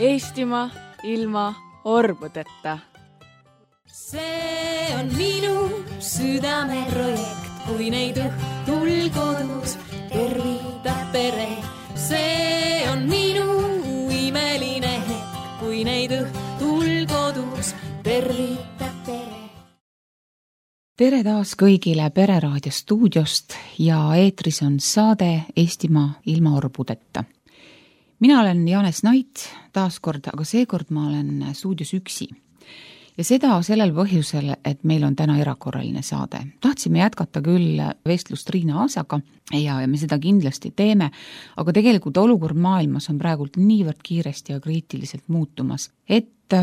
Eestimaa ilma orbudeta. See on minu südameprojekt, kui neid õhtul kodus tervitab pere. See on minu imeline hetk, kui neid õhtul kodus tervitab pere. Tere taas kõigile Pereraadio stuudiost ja eetris on saade Eestimaa ilma orbudeta. Mina olen Jaanes Nait taaskord, aga seekord ma olen stuudios üksi. Ja seda sellel põhjusel, et meil on täna erakorraline saade. Tahtsime jätkata küll vestlust Riina Aasaga ja me seda kindlasti teeme, aga tegelikult olukord maailmas on praegult niivõrd kiiresti ja kriitiliselt muutumas, et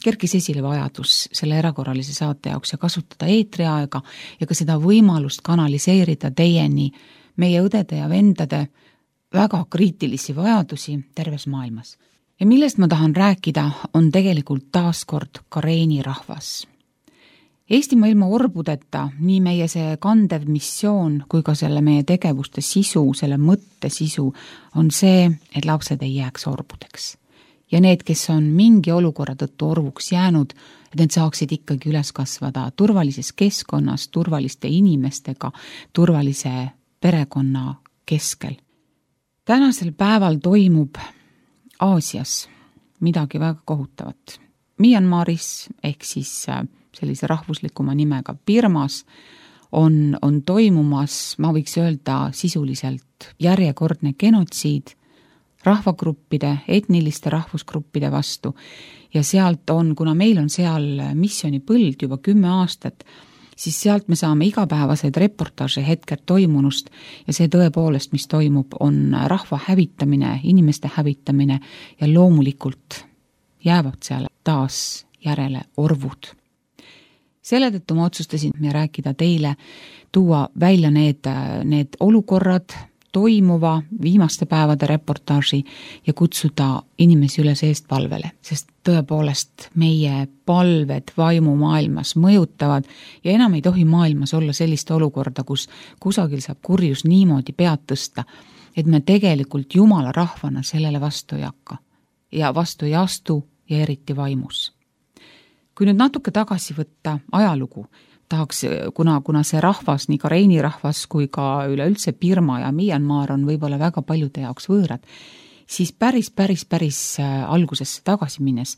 kerkis esile vajadus selle erakorralise saate jaoks ja kasutada eetriaega ja ka seda võimalust kanaliseerida teieni meie õdede ja vendade väga kriitilisi vajadusi terves maailmas. Ja millest ma tahan rääkida, on tegelikult taaskord kareeni rahvas. Eestimaa ilma orbudeta, nii meie see kandev missioon kui ka selle meie tegevuste sisu, selle mõtte sisu on see, et lapsed ei jääks orbudeks. Ja need, kes on mingi olukorra tõttu orvuks jäänud, et need saaksid ikkagi üles kasvada turvalises keskkonnas, turvaliste inimestega, turvalise perekonna keskel. Tänasel päeval toimub Aasias midagi väga kohutavat. Myanmaris ehk siis sellise rahvuslikuma nimega Birmas on toimumas, ma võiks öelda sisuliselt järjekordne genotsiid rahvagruppide, etniliste rahvusgruppide vastu ja sealt on, kuna meil on seal missioonipõld juba 10 aastat, siis sealt me saame igapäevaseid reportaaže hetkel toimunust ja see tõepoolest, mis toimub, on rahva hävitamine, inimeste hävitamine ja loomulikult jäävad seal taas järele orvud. Selle tõttu ma otsustasin rääkida teile, tuua välja need olukorrad, toimuva viimaste päevade reportaaži ja kutsuda inimesi üles eestpalvele, sest tõepoolest meie palved vaimumaailmas mõjutavad ja enam ei tohi maailmas olla sellist olukorda, kus kusagil saab kurjus niimoodi pead tõsta, et me tegelikult Jumala rahvana sellele vastu ei hakka ja vastu ei astu ja eriti vaimus. Kui nüüd natuke tagasi võtta ajalugu, tahaks, kuna see rahvas, nii kareeni rahvas kui ka üleüldse Birma ja Myanmar on võib-olla väga paljude jaoks võõrad, siis päris algusesse tagasi minnes,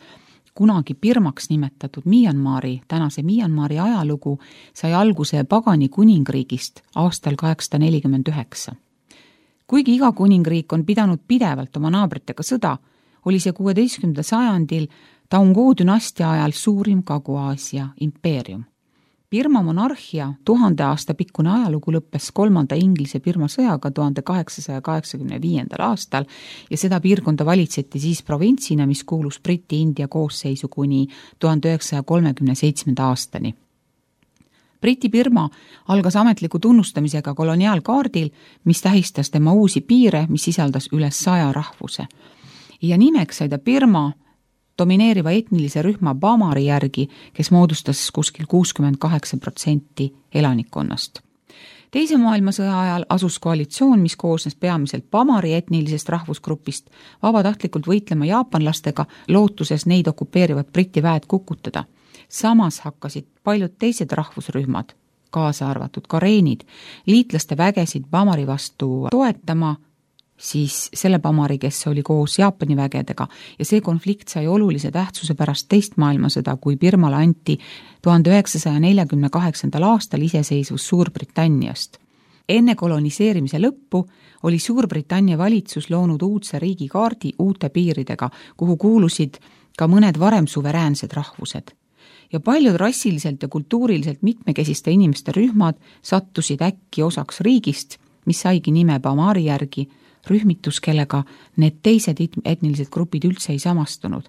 kunagi Birmaks nimetatud Myanmari, tänase Myanmari ajalugu sai alguse pagani kuningriigist aastal 849. Kuigi iga kuningriik on pidanud pidevalt oma naabritega sõda, oli see 16. sajandil Taungoo dünastia ajal suurim Kagu-Aasia impeerium. Birma monarhia 1000 aasta pikkune ajalugu lõppes 3. Inglise-Birma sõjaga 1885. aastal ja seda piirkonda valitseti siis provintsina, mis kuulus Briti-India koosseisu kuni 1937. aastani. Briti-Birma algas ametliku tunnustamisega koloniaalkaardil, mis tähistas tema uusi piire, mis sisaldas üle 100 rahvuse. Ja nimeks sai ta Birma domineeriva etnilise rühma Bamari järgi, kes moodustas kuskil 68% elanikkonnast. Teise maailmasõja ajal asus koalitsioon, mis koosnes peamiselt Bamari etnilisest rahvusgrupist, vabatahtlikult võitlema jaapanlastega, lootuses neid okupeerivad Briti väed kukutada. Samas hakkasid paljud teised rahvusrühmad, kaasa arvatud kareenid, liitlaste vägesid Bamari vastu toetama, siis selle Bamari, kes oli koos Jaapani vägedega ja see konflikt sai olulise tähtsuse pärast teist maailmasõda, kui Birmale anti 1948. aastal iseseisvus Suurbritanniast. Enne koloniseerimise lõppu oli Suurbritannia valitsus loonud uudse riigikaardi uute piiridega, kuhu kuulusid ka mõned varem suveräänsed rahvused. Ja paljud rassiliselt ja kultuuriliselt mitmekesiste inimeste rühmad sattusid äkki osaks riigist, mis saigi nime Bamari järgi, rühmitus, kellega need teised etnilised grupid üldse ei samastunud.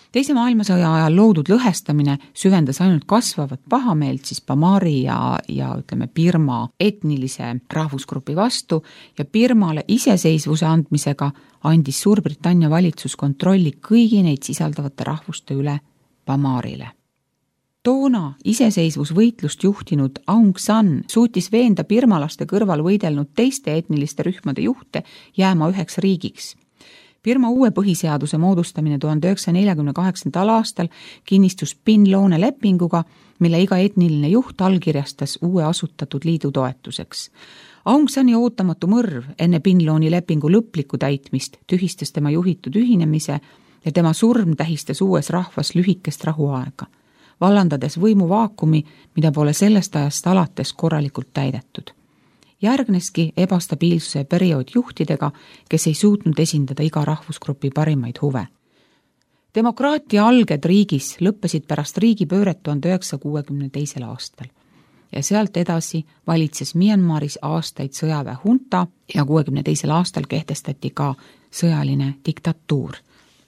Teise maailmasõja ajal loodud lõhestamine süvendas ainult kasvavat pahameelt siis Bamari ja ütleme Birma etnilise rahvusgrupi vastu ja Birmale iseseisvuse andmisega andis Suurbritannia valitsus kontrolli kõigi neid sisaldavate rahvuste üle Bamarile. Toona iseseisvusvõitlust juhtinud Aung San suutis veenda birmalaste kõrval võidelnud teiste etniliste rühmade juhte jääma üheks riigiks. Birma uue põhiseaduse moodustamine 1948. aastal kinnistus PIN-Loone lepinguga, mille iga etniline juht allkirjastas uue asutatud liidu toetuseks. Aung Sani ootamatu mõrv enne PIN-Looni lepingu lõplikku täitmist tühistas tema juhitud ühinemise ja tema surm tähistas uues rahvas lühikest rahuaega, vallandades võimuvaakumi, mida pole sellest ajast alates korralikult täidetud. Järgneski ebastabiilsuse periood juhtidega, kes ei suutnud esindada iga rahvusgrupi parimaid huve. Demokraatia alged riigis lõppesid pärast riigipööret 1962. aastal ja sealt edasi valitses Myanmaris aastaid sõjaväe hunta ja 1962. aastal kehtestati ka sõjaline diktatuur.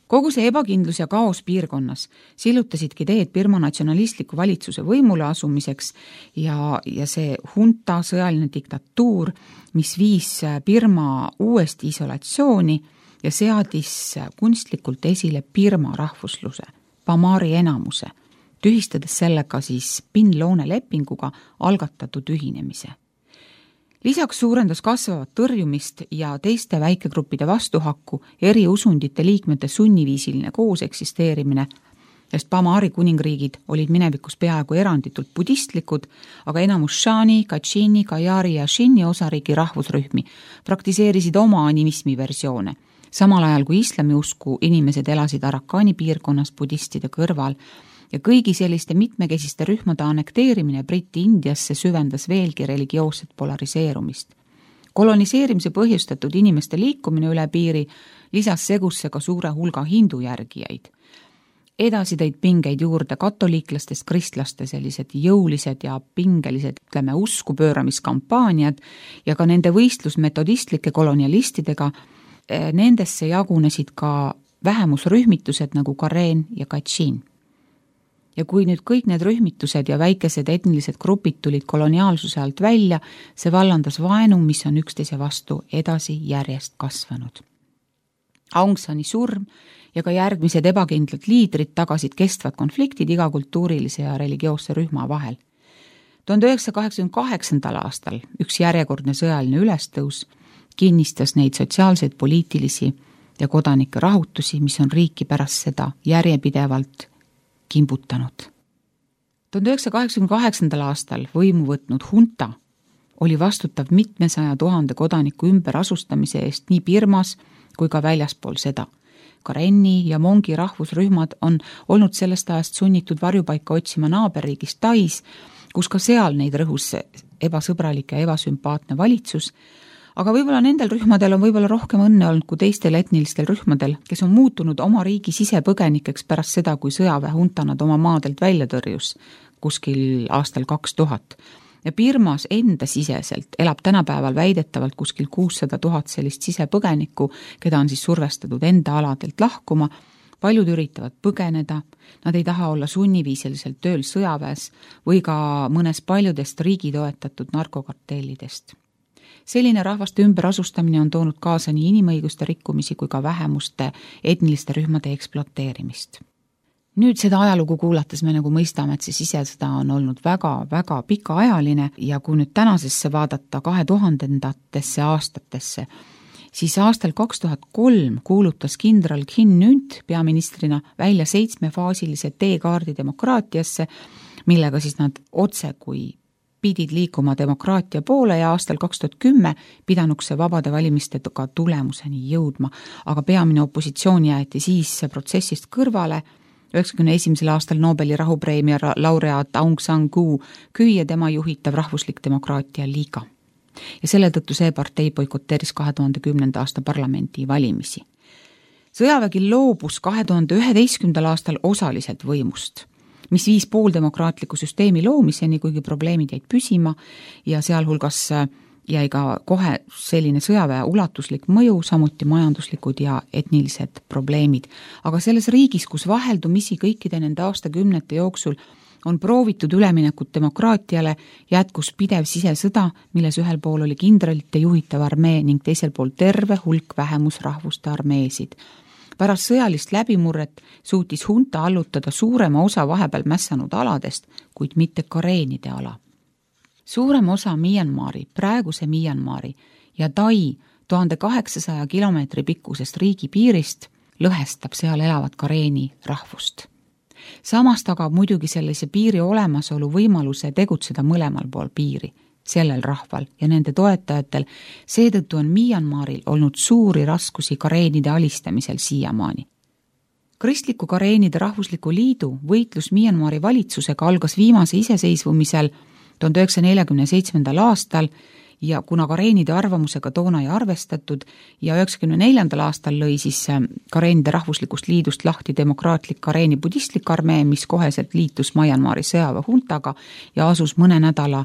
Kogu see ebakindlus ja kaos piirkonnas sillutasidki teed Birma natsionalistliku valitsuse võimule asumiseks ja see hunta sõjaline diktatuur, mis viis Birma uuesti isolatsiooni ja seadis kunstlikult esile Birma rahvusluse, Pamari enamuse, tühistades sellega siis PIN-Loone lepinguga algatatud ühinemise. Lisaks suurendas kasvavat tõrjumist ja teiste väikegruppide vastuhakku eri usundite liikmete sunniviisiline koos eksisteerimine, sest Pamari kuningriigid olid minevikus peaaegu eranditult budistlikud, aga enamus Shani, Kachini, Kajari ja Shinni osariigi rahvusrühmi praktiseerisid oma animismi versioone, samal ajal kui islamiusku inimesed elasid Arakani piirkonnas budistide kõrval ja kõigi selliste mitmekesiste rühmade annekteerimine Briti-Indiasse süvendas veelgi religioosset polariseerumist. Koloniseerimise põhjustatud inimeste liikumine üle piiri lisas segusse ka suure hulga hindu järgijaid. Edasi tõid pingeid juurde katoliiklastest kristlaste sellised jõulised ja pingelised, usku pööramiskampaaniad ja ka nende võistlus metodistlike kolonialistidega. Nendesse jagunesid ka vähemusrühmitused nagu Karen ja Kachin. Ja kui nüüd kõik need rühmitused ja väikesed etnilised grupid tulid koloniaalsuse alt välja, see vallandas vaenu, mis on üksteise vastu edasi järjest kasvanud. Aung Sani surm ja ka järgmised ebakindlad liidrid tagasid kestvad konfliktid iga kultuurilise ja religioosse rühma vahel. 1988. aastal üks järjekordne sõjaline ülestõus kinnistas neid sotsiaalseid, poliitilisi ja kodanike rahutusi, mis on riiki pärast seda järjepidevalt kimbutanud. 1988. aastal võimu võtnud hunta oli vastutav mitmesaja 000 kodaniku ümberasustamise eest nii Birmas kui ka väljaspool seda. Karenni ja Mongi rahvusrühmad on olnud sellest ajast sunnitud varjupaika otsima naaberriigis Tais, kus ka seal neid rõhus ebasõbralik ja ebasümpaatne valitsus, aga võib-olla nendel rühmadel on võib-olla rohkem õnne olnud kui teistel etnilistel rühmadel, kes on muutunud oma riigi sisepõgenikeks pärast seda, kui sõjaväehunta nad oma maadelt välja tõrjus kuskil aastal 2000. Ja Birmas enda siseselt elab tänapäeval väidetavalt kuskil 600 000 sellist sisepõgenikku, keda on siis survestatud enda aladelt lahkuma. Paljud üritavad põgeneda, nad ei taha olla sunniviisiliselt tööl sõjaväes või ka mõnes paljudest riigi toetatud narkokartellidest. Selline rahvaste ümberasustamine on toonud kaasa nii inimõiguste rikkumisi kui ka vähemuste etniliste rühmade ekspluateerimist. Nüüd seda ajalugu kuulates me nagu mõistame, et see sisesõda on olnud väga pikaajaline ja kui nüüd tänasesse vaadata 2000-ndatesse aastatesse, siis aastal 2003 kuulutas kindral Khin Nyunt peaministrina välja 7-faasilise teekaardi demokraatiasse, millega siis nad otse kui pidid liikuma demokraatia poole ja aastal 2010 pidanuks see vabade valimistega tulemuseni jõudma, aga peamine opositsioon jäeti siis protsessist kõrvale. 1991. aastal Nobeli rahupreemia laureaat Aung San Suu Kyi ja tema juhitav rahvuslik demokraatia liiga. Ja selle tõttu see partei boikoteeris 2010. aasta parlamendi valimisi. Sõjavägi loobus 2011. aastal osaliselt võimust, mis viis pooldemokraatliku süsteemi loomiseni, kuigi probleemid jäid püsima ja sealhulgas jäi ka kohe selline sõjaväe ulatuslik mõju, samuti majanduslikud ja etnilised probleemid. Aga selles riigis, kus vaheldumisi kõikide nende aastakümnete jooksul on proovitud üleminekut demokraatiale, jätkus pidev sisesõda, milles ühel pool oli kindralite juhitav armee ning teisel pool terve hulk vähemusrahvuste armeesid. Pärast sõjalist läbimurret suutis hunta allutada suurema osa vahepeal mässanud aladest, kuid mitte Kareenide ala. Suurem osa Myanmari, praeguse Myanmari ja Tai 1800 kilomeetri pikkusest riigipiirist lõhestab seal elavat kareeni rahvust. Samas tagab muidugi sellise piiri olemasolu võimaluse tegutseda mõlemal pool piiri, sellel rahval ja nende toetajatel, seetõttu on Myanmaril olnud suuri raskusi kareenide alistamisel siiamaani. Kristliku kareenide rahvusliku liidu võitlus Myanmari valitsusega algas viimase iseseisvumisel 1947. aastal ja kuna kareenide arvamusega toona ei arvestatud ja 1994. aastal lõi siis kareenide rahvuslikust liidust lahti demokraatlik kareeni budistlik armee, mis koheselt liitus Myanmari sõjaväehuntaga ja asus mõne nädala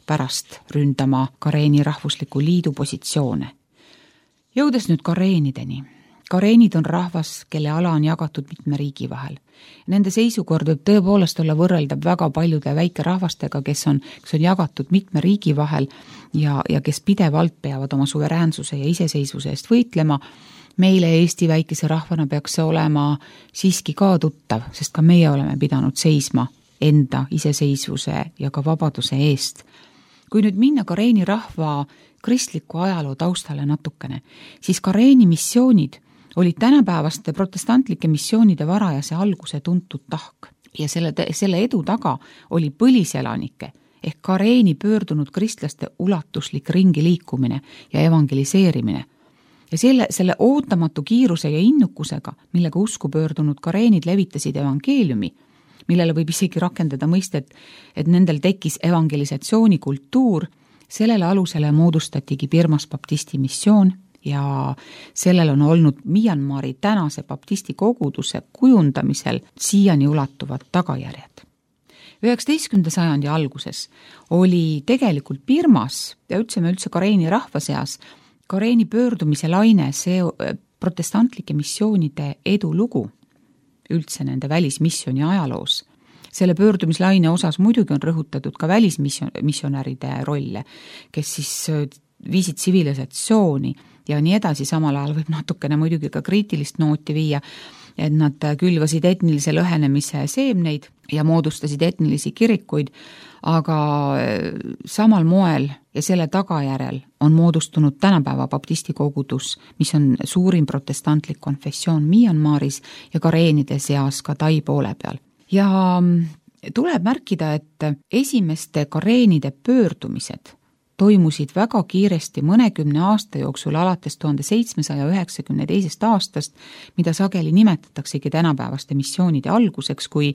pärast ründama kareeni rahvusliku liidu positsioone. Jõudes nüüd kareenideni. Kareenid on rahvas, kelle ala on jagatud mitme riigi vahel. Nende seisukord võib tõepoolest olla võrreldav väga paljude väikerahvastega, kes on jagatud mitme riigi vahel ja kes pidevalt peavad oma suveräänsuse ja iseseisvuse eest võitlema. Meile Eesti väikese rahvana peaks see olema siiski ka tuttav, sest ka meie oleme pidanud seisma enda iseseisvuse ja ka vabaduse eest. Kui nüüd minna kareeni rahva kristliku ajaloo taustale natukene, siis kareeni missioonid olid tänapäevaste protestantlike missioonide varajase alguse tuntud tahk ja selle edu taga oli põliselanike ehk kareeni pöördunud kristlaste ulatuslik ringi liikumine ja evangeliseerimine. Ja selle ootamatu kiiruse ja innukusega, millega usku pöördunud kareenid levitasid evangeeliumi, millele võib isegi rakendada mõistet, et nendel tekkis evangelisatsiooni kultuur, sellele alusele moodustatigi Birmas baptisti missioon ja sellel on olnud Myanmari tänase baptisti koguduse kujundamisel siiani ulatuvad tagajärjed. 19. sajandi alguses oli tegelikult Birmas ja üldse kareeni rahva seas kareeni pöördumise laine see protestantlike missioonide edulugu üldse nende välismissiooni ajaloos. Selle pöördumislaine osas muidugi on rõhutatud ka välismissionäride rolle, kes siis viisid tsivilisatsiooni ja nii edasi, samal ajal võib natukene muidugi ka kriitilist nooti viia, et nad külvasid etnilise lõhenemise seemneid ja moodustasid etnilisi kirikuid, aga samal moel ja selle tagajärjel on moodustunud tänapäeva baptisti kogudus, mis on suurim protestantlik konfessioon Myanmaris ja kareenide seas ka Tai poole peal. Ja tuleb märkida, et esimeste kareenide pöördumised toimusid väga kiiresti mõnekümne aasta jooksul alates 1792. aastast, mida sageli nimetataksegi tänapäevaste missioonide alguseks, kui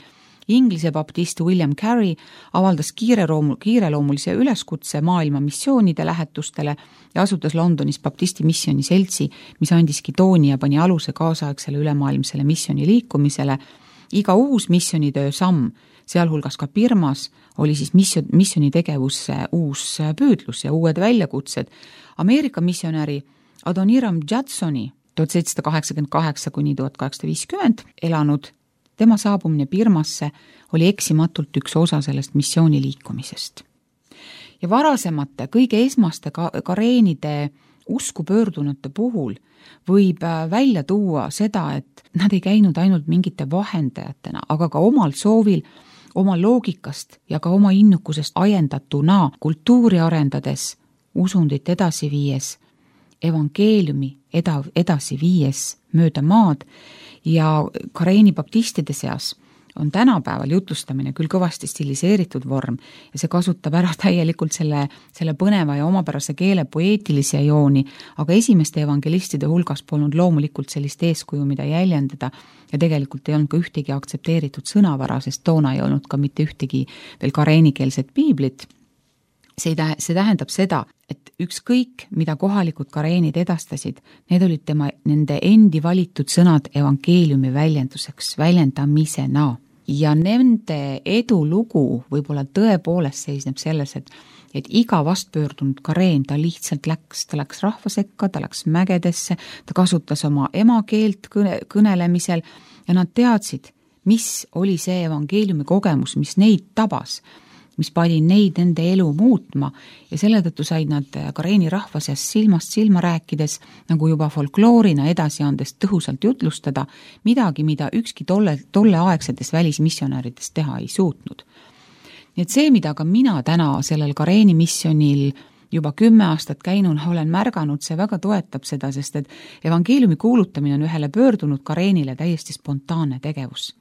Inglise baptist William Carey avaldas kiireloomulise üleskutse maailma missioonide lähetustele ja asutas Londonis baptisti missiooni seltsi, mis andiski tooni ja pani aluse kaasaegsele ülemaailmsele missiooni liikumisele. Iga uus missionitöö samm, sealhulgas ka Birmas, oli siis missiooni tegevusse uus püüdlus ja uued väljakutsed. Ameerika missionäri Adoniram Judsoni 1788–1850 elanud, tema saabumine Birmasse oli eksimatult üks osa sellest missiooni liikumisest. Ja varasemate, kõige esmaste kareenide usku pöördunute puhul võib välja tuua seda, et nad ei käinud ainult mingite vahendajatena, aga ka omal soovil, oma loogikast ja ka oma innukusest ajendatuna kultuuri arendades, usundit edasi viies, evangeeliumi edasi viies mööda maad ja kareeni baptistide seas on tänapäeval jutlustamine küll kõvasti stiliseeritud vorm ja see kasutab ära täielikult selle põneva ja omapärase keele poeetilise jooni, aga esimeste evangelistide hulgas polnud loomulikult sellist eeskuju, mida jäljendada ja tegelikult ei olnud ka ühtegi aktsepteeritud sõnavara, sest toona ei olnud ka mitte ühtegi veel kareenikeelset piiblit. See tähendab seda, et ükskõik, mida kohalikud kareenid edastasid, need olid nende endi valitud sõnad evangeeliumi väljendamisena. Ja nende edulugu võib-olla tõepoolest seisneb selles, et iga vastpöördunud kareen ta lihtsalt läks rahva sekka, ta läks mägedesse, ta kasutas oma emakeelt kõnelemisel ja nad teadsid, mis oli see evangeeliumi kogemus, mis neid tabas, mis pani neid nende elu muutma ja selle tõttu said nad kareeni rahva seas silmast silma rääkides, nagu juba folkloorina edasi andes tõhusalt jutlustada midagi, mida ükski tolleaegsetes välismissionärides teha ei suutnud. Nii et see, mida ka mina täna sellel kareeni missionil juba 10 aastat käinud, olen märganud, see väga toetab seda, sest et evangeeliumi kuulutamine on ühele pöördunud Kareenile täiesti spontaanne tegevus.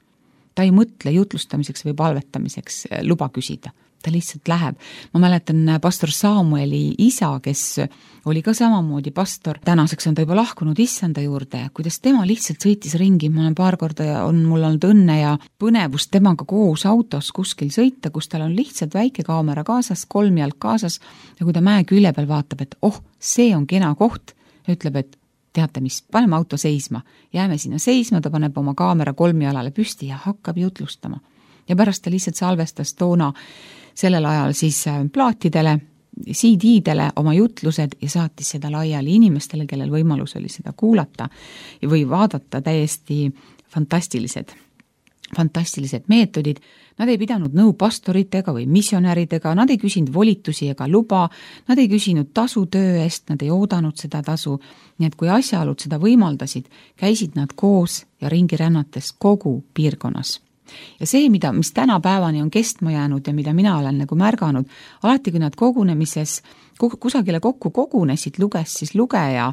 Ta ei mõtle jutlustamiseks või palvetamiseks luba küsida. Ta lihtsalt läheb. Ma mäletan pastor Samueli isa, kes oli ka samamoodi pastor. Tänaseks on ta juba lahkunud issanda juurde, kuidas tema lihtsalt sõitis ringi. Ma olen paar korda ja mul olnud õnne ja põnevust temaga koos autos kuskil sõita, kus tal on lihtsalt väike kaamera kaasas, 3 jalg kaasas ja kui ta mäe külje peal vaatab, et see on kena koht, ütleb, et teate mis, paneme auto seisma. Jääme sinna seisma, ta paneb oma kaamera 3 jalale püsti ja hakkab jutlustama. Ja pärast ta lihtsalt salvestas toona sellel ajal siis plaatidele, CD-dele oma jutlused ja saatis seda laiali inimestele, kellel võimalus oli seda kuulata või vaadata. Täiesti fantastilised meetodid. Nad ei pidanud nõu pastoritega või missionäridega, nad ei küsinud volitusi ega luba, nad ei küsinud tasu töö eest, nad ei oodanud seda tasu. Nii et kui asjaolud seda võimaldasid, käisid nad koos ja ringi rännates kogu piirkonnas. Ja see, mis tänapäevani on kestma jäänud ja mida mina olen nagu märganud, alati kui nad kogunemises kusagile kokku kogunesid, luges siis lugeja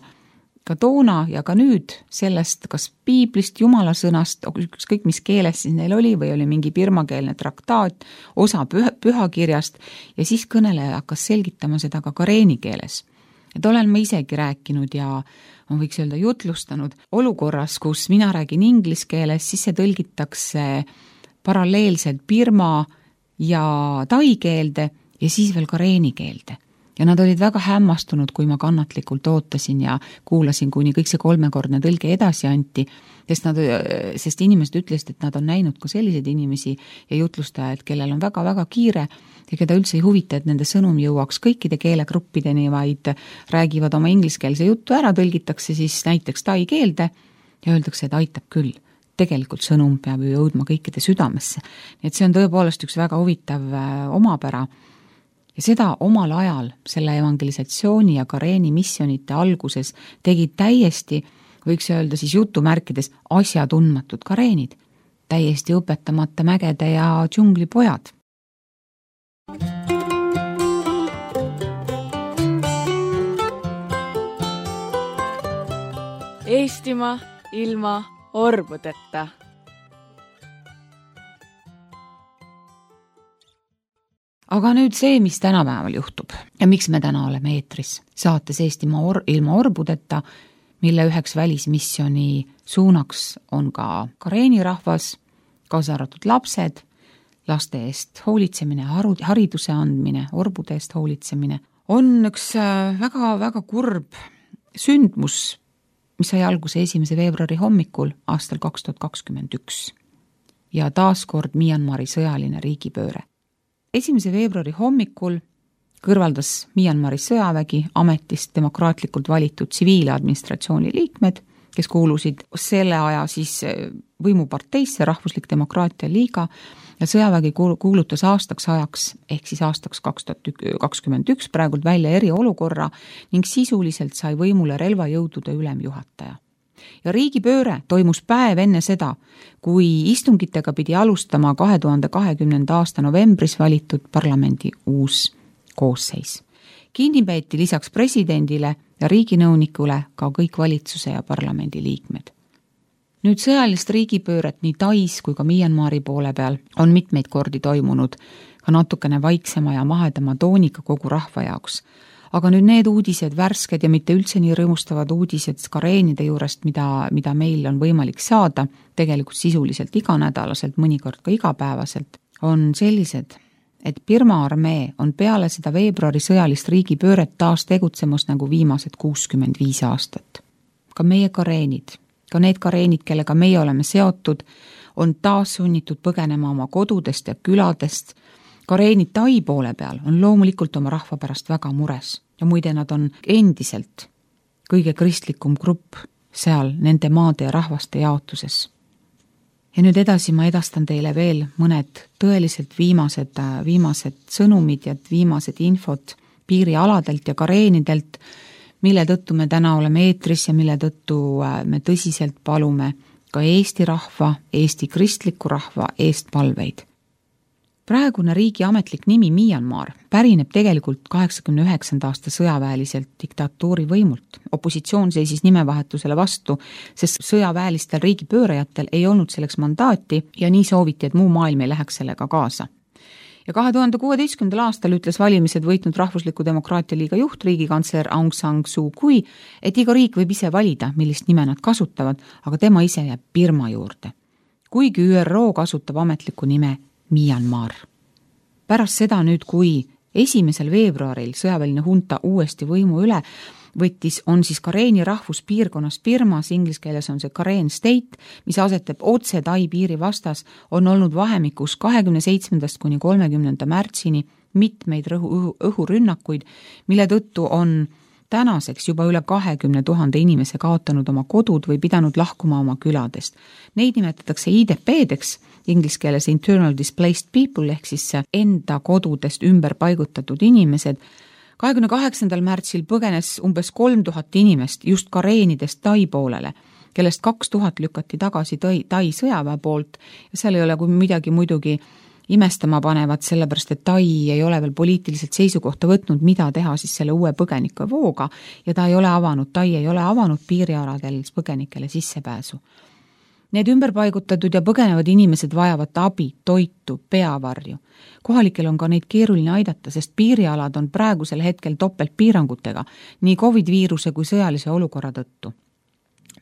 ka toona ja ka nüüd sellest, kas piiblist, jumala sõnast, ükskõik mis keeles siis neil oli või oli mingi birmakeelne traktaat, osa pühakirjast ja siis kõneleja hakkas selgitama seda ka kareeni keeles. Et olen ma isegi rääkinud ja ma võiks öelda jutlustanud olukorras, kus mina räägin inglise keeles, siis see tõlgitakse paralleelselt birma ja tai keelde ja siis veel kareeni keelde. Ja nad olid väga hämmastunud, kui ma kannatlikult ootasin ja kuulasin, kuni kõik see 3-kordne tõlge edasi anti, sest inimesed ütlesid, et nad on näinud ka selliseid inimesi ja jutlustajad, kellel on väga-väga kiire ja keda üldse ei huvita, et nende sõnum jõuaks kõikide keelegruppideni, vaid räägivad oma ingliskeelse juttu ära, tõlgitakse siis näiteks tai keelde ja öeldakse, et aitab küll. Tegelikult sõnum peab ju jõudma kõikide südamesse. Nii et see on tõepoolest üks väga huvitav omapära. Ja seda omal ajal selle evangelisatsiooni ja kareeni missionite alguses tegid täiesti, võiks öelda siis jutumärkides, asjatundmatud kareenid, täiesti õpetamata mägede ja džunglipojad. Eestimaa ilma orbudeta. Aga nüüd see, mis tänapäeval juhtub ja miks me täna oleme eetris saates Eestimaa ilma orbudeta, mille üheks välismisjoni suunaks on ka kareeni rahvas, kaasa arvatud lapsed, laste eest hoolitsemine, hariduse andmine, orbude eest hoolitsemine, on üks väga-väga kurb sündmus, mis sai alguse 1. veebruari hommikul aastal 2021 ja taaskord Myanmari sõjaline riigipööre. 1. veebruari hommikul kõrvaldas Myanmari sõjavägi ametist demokraatlikult valitud tsiviiladministratsiooni liikmed, kes kuulusid selle aja siis võimuparteisse Rahvuslik Demokraatia Liiga ja sõjavägi kuulutas aastaks ajaks, ehk siis aastaks 2021 praegult välja eriolukorra ning sisuliselt sai võimule relvajõudude ülemjuhataja. Ja riigipööre toimus päev enne seda, kui istungitega pidi alustama 2020. aasta novembris valitud parlamendi uus koosseis. Kinni peeti lisaks presidendile ja riiginõunikule ka kõik valitsuse ja parlamendi liikmed. Nüüd sõjalist riigipööret nii Tais kui ka Myanmari poole peal on mitmeid kordi toimunud, ka natukene vaiksema ja mahedama tooniga kogu rahva jaoks. Aga nüüd need uudised, värsked ja mitte üldse nii rõõmustavad uudised kareenide juurest, mida meil on võimalik saada, tegelikult sisuliselt iganädalaselt, mõnikord ka igapäevaselt, on sellised, et Birma armee on peale seda veebruari sõjalist riigipööret taas tegutsemas nagu viimased 65 aastat. Ka meie kareenid, ka need kareenid, kellega meie oleme seotud, on taas sunnitud põgenema oma kodudest ja küladest. Kareenid Tai poole peal on loomulikult oma rahva pärast väga mures ja muide nad on endiselt kõige kristlikum grupp seal nende maade ja rahvaste jaotuses. Ja nüüd edasi ma edastan teile veel mõned tõeliselt viimased sõnumid ja viimased infot piirialadelt ja kareenidelt, mille tõttu me täna oleme eetris ja mille tõttu me tõsiselt palume ka Eesti rahva, Eesti kristliku rahva eest palveid. Praegune riigi ametlik nimi Myanmar pärineb tegelikult 89. aasta sõjaväeliselt diktatuuri võimult. Opositsioon seisis nimevahetusele vastu, sest sõjaväelistel riigipöörajatel ei olnud selleks mandaati ja nii sooviti, et muu maailm ei läheks sellega kaasa. Ja 2016. aastal ütles valimised võitnud Rahvusliku Demokraatia Liiga juht, riigikantsler Aung San Suu Kyi, et iga riik võib ise valida, millist nime nad kasutavad, aga tema ise jääb Birma juurde. Kuigi ÜRO kasutab ametlikku nime Myanmar. Pärast seda nüüd, kui 1. veebruaril sõjaväeline hunta uuesti võimu üle võttis, on siis Kareeni rahvuspiirkonnas Birmas, inglise keeles on see Karen State, mis asetab otse Tai piiri vastas, on olnud vahemikus 27. kuni 30. märtsini mitmeid õhurünnakuid, mille tõttu on tänaseks juba üle 20 000 inimese kaotanud oma kodud või pidanud lahkuma oma küladest. Neid nimetatakse IDP-deks, inglise keeles Internal Displaced People, ehk siis enda kodudest ümber paigutatud inimesed. 28. märtsil põgenes umbes 3000 inimest just Kareenidest Tai poolele, kellest 2000 lükati tagasi Tai sõjaväe poolt ja seal ei ole kui midagi muidugi imestama panevad, sellepärast et Tai ei ole veel poliitiliselt seisukohta võtnud, mida teha siis selle uue põgenike vooga ja Tai ei ole avanud piirialadel põgenikele sissepääsu. Need ümberpaigutatud ja põgenevad inimesed vajavad abi, toitu, peavarju. Kohalikel on ka neid keeruline aidata, sest piirialad on praegusel hetkel topeltpiirangutega, nii COVID-viiruse kui sõjalise olukorra tõttu.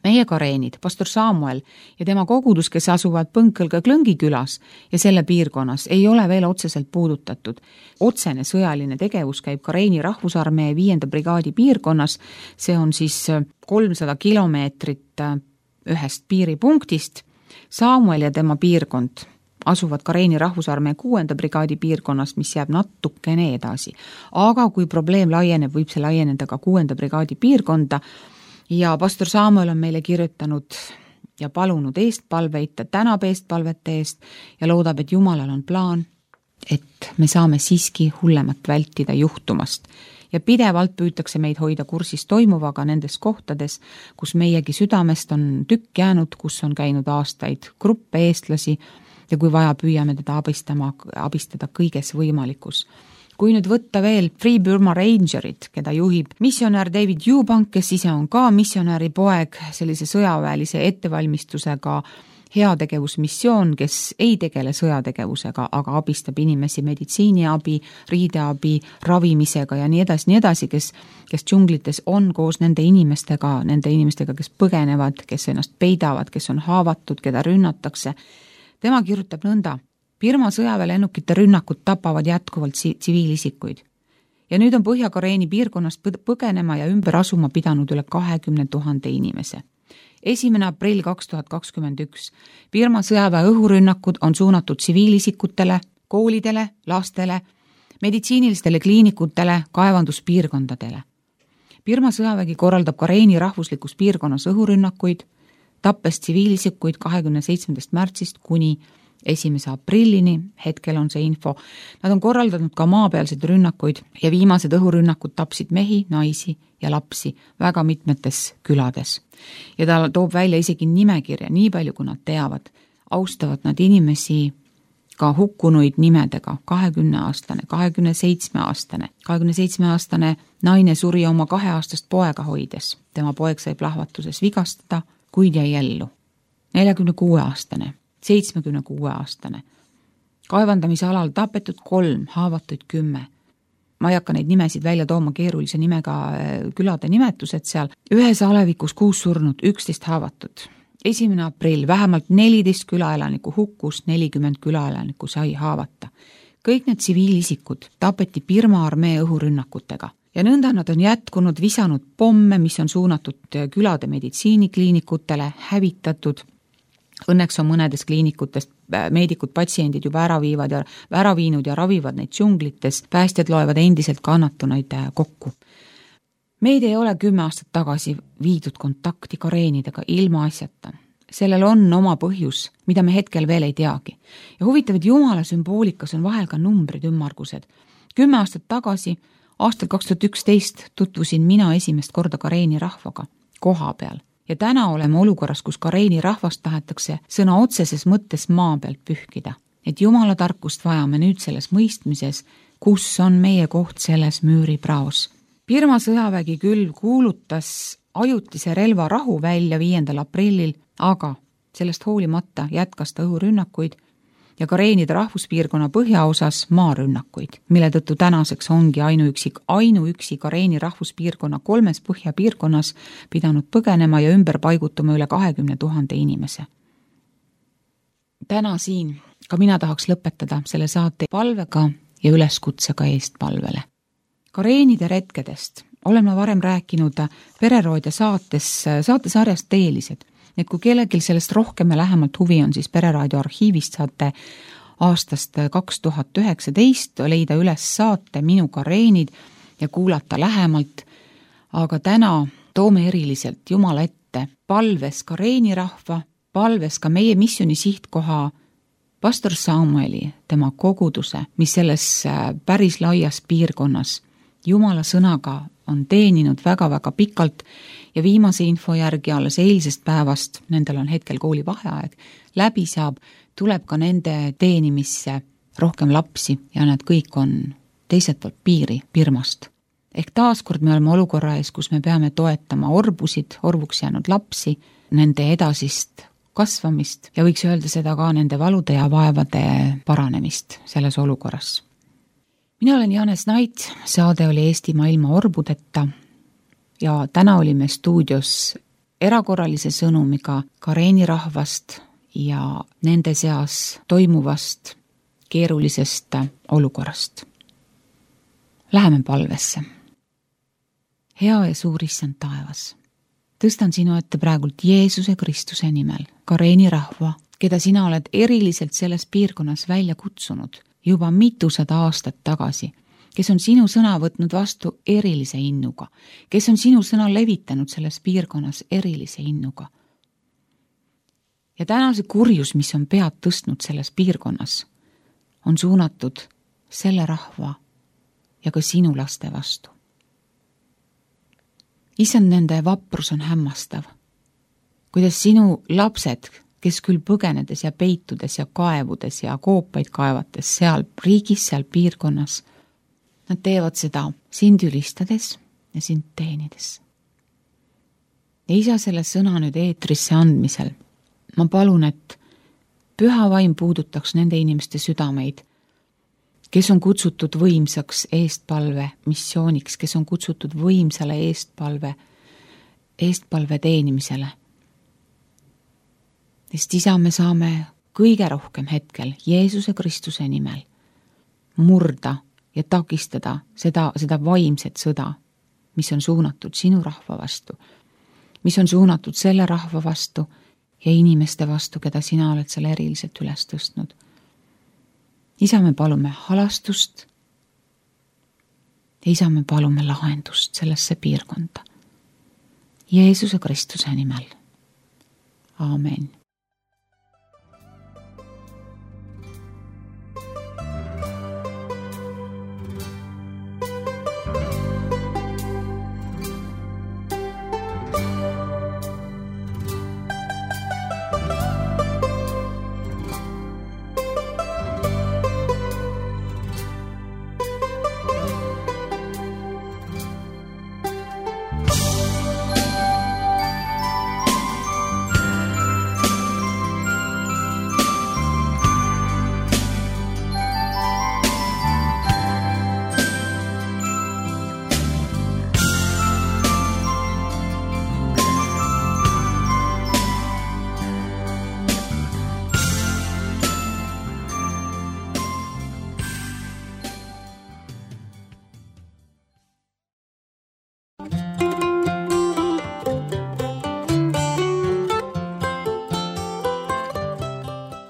Meie kareenid, pastor Samuel ja tema kogudus, kes asuvad Põnkõlga Klõngi külas ja selle piirkonnas, ei ole veel otseselt puudutatud. Otsene sõjaline tegevus käib Kareeni rahvusarmee 5. brigaadi piirkonnas, see on siis 300 kilomeetrit ühest piiripunktist. Samuel ja tema piirkond asuvad Kareeni rahvusarmee 6. brigaadi piirkonnas, mis jääb natukene edasi. Aga kui probleem laieneb, võib see laieneda ka 6. brigaadi piirkonda ja pastor Samuel on meile kirjutanud ja palunud eestpalveid, ta tänab eestpalvete eest ja loodab, et Jumalal on plaan, et me saame siiski hullemat vältida juhtumast. Ja pidevalt püütakse meid hoida kursis toimuvaga nendes kohtades, kus meiegi südamest on tükk jäänud, kus on käinud aastaid gruppe eestlasi ja kui vaja, püüame teda abistada kõiges võimalikus. Kui nüüd võtta veel Free Burma Rangerid, keda juhib missionär David Eubank, kes ise on ka missionäri poeg, sellise sõjaväelise ettevalmistusega heategevusmissioon, kes ei tegele sõjategevusega, aga abistab inimesi meditsiiniabi, riideabi, ravimisega ja nii edasi, kes džunglites on koos nende inimestega, kes põgenevad, kes ennast peidavad, kes on haavatud, keda rünnatakse. Tema kirjutab nõnda: Birma sõjaväelennukite rünnakud tapavad jätkuvalt tsiviilisikuid. Ja nüüd on Põhja-Kareeni piirkonnast põgenema ja ümber asuma pidanud üle 20 000 inimese. 1. aprill 2021. Birma sõjaväe õhurünnakud on suunatud tsiviilisikutele, koolidele, lastele, meditsiinilistele kliinikutele, kaevanduspiirkondadele. Birma sõjavägi korraldab Kareeni rahvuslikus piirkonnas õhurünnakuid, tappes tsiviilisikuid 27. märtsist kuni 1. aprillini, hetkel on see info. Nad on korraldanud ka maapealseid rünnakuid ja viimased õhurünnakud tapsid mehi, naisi ja lapsi väga mitmetes külades. Ja ta toob välja isegi nimekirja, nii palju kui nad teavad. Austavad nad inimesi ka hukkunuid nimedega, 20-aastane, 27-aastane. 27-aastane naine suri oma 2-aastast poega hoides. Tema poeg sai plahvatuses vigastada, kuid jäi ellu. 46-aastane. 76-aastane. Kaevandamise alal tapetud 3, haavatuid 10. Ma ei hakka neid nimesid välja tooma, keerulise nimega külade nimetused seal. Ühes alevikus 6 surnud, 11 haavatud. 1. aprill vähemalt 14 külaelaniku hukkus, 40 külaelaniku sai haavata. Kõik need tsiviilisikud tapeti Birma armee õhurünnakutega. Ja nõnda nad on jätkunud, visanud pomme, mis on suunatud külade meditsiinikliinikutele, hävitatud. Õnneks on mõnedes kliinikutest meedikud, patsiendid juba ära viinud ja ravivad neid džunglites. Päästjad loevad endiselt kannatunaid kokku. Meid ei ole 10 aastat tagasi viidud kontakti kareenidega ilma asjata. Sellel on oma põhjus, mida me hetkel veel ei teagi. Ja huvitav, et Jumala sümboolikas on vahel ka numbrid ümmargused. 10 aastat tagasi, aastal 2011, tutvusin mina esimest korda Kareeni rahvaga koha peal. Ja täna oleme olukorras, kus Kareeni rahvast tahetakse sõna otseses mõttes maa pealt pühkida. et Jumala tarkust vajame nüüd selles mõistmises, kus on meie koht selles müüripraos. Birma sõjavägi küll kuulutas ajutise relvarahu välja 5. aprillil, aga sellest hoolimata jätkas ta õhurünnakuid ja Kareenide rahvuspiirkonna põhjaosas maarünnakuid, mille tõttu tänaseks ongi ainuüksi Kareeni rahvuspiirkonna 3 põhjapiirkonnas pidanud põgenema ja ümber paigutuma üle 20 000 inimese. Täna siin ka mina tahaks lõpetada selle saate palvega ja üleskutsega eestpalvele. Kareenide retkedest olen ma varem rääkinud Pereraadio saatesarjast Teelised. Et kui kellelgi sellest rohkem ja lähemalt huvi on, siis Pereraadio arhiivist saate aastast 2019 leida üles saate Minu Kareenid ja kuulata lähemalt. Aga täna toome eriliselt Jumala ette palves Kareeni rahva, palves ka meie missiooni sihtkoha pastor Samueli, tema koguduse, mis selles päris laias piirkonnas Jumala sõnaga on teeninud väga-väga pikalt ja viimase info järgi alles eilsest päevast, nendel on hetkel koolivaheaeg, läbi saab, tuleb ka nende teenimisse rohkem lapsi ja nad kõik on teiselt poolt piiri Birmast. Ehk taaskord me oleme olukorra ees, kus me peame toetama orvuks jäänud lapsi, nende edasist kasvamist ja võiks öelda seda ka nende valude ja vaevade paranemist selles olukorras. Mina olen Janes Nait, saade oli Eestimaa ilma orbudeta ja täna olime stuudios erakorralise sõnumiga Kareeni rahvast ja nende seas toimuvast keerulisest olukorrast. Läheme palvesse. Hea ja suur issand taevas, tõstan sinu ette praegult Jeesuse Kristuse nimel Kareeni rahva, keda sina oled eriliselt selles piirkonnas välja kutsunud juba mitusada aastat tagasi, kes on sinu sõna võtnud vastu erilise innuga, kes on sinu sõna levitanud selles piirkonnas erilise innuga. Ja täna see kurjus, mis on pead tõstnud selles piirkonnas, on suunatud selle rahva ja ka sinu laste vastu. Issand, nende vaprus on hämmastav, kuidas sinu lapsed, kes küll põgenedes ja peitudes ja kaevudes ja koopaid kaevates seal riigis, seal piirkonnas, nad teevad seda sind ülistades ja sind teenides. Ja isa selle sõna nüüd eetrisse andmisel, ma palun, et püha vaim puudutaks nende inimeste südameid, kes on kutsutud võimsaks eestpalve missiooniks, kes on kutsutud võimsale eestpalve teenimisele. Sest isa, me saame kõige rohkem hetkel Jeesuse Kristuse nimel murda ja takistada seda vaimset sõda, mis on suunatud sinu rahva vastu, mis on suunatud selle rahva vastu ja inimeste vastu, keda sina oled selle eriliselt üles tõstnud. Isa, me palume halastust ja isa, me palume lahendust sellesse piirkonda. Jeesuse Kristuse nimel. Aamen.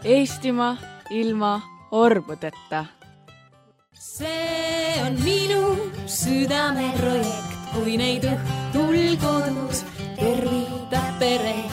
Eestimaa ilma orbudeta. See on minu südameprojekt, kui neid õhtul kodus tervitab pere.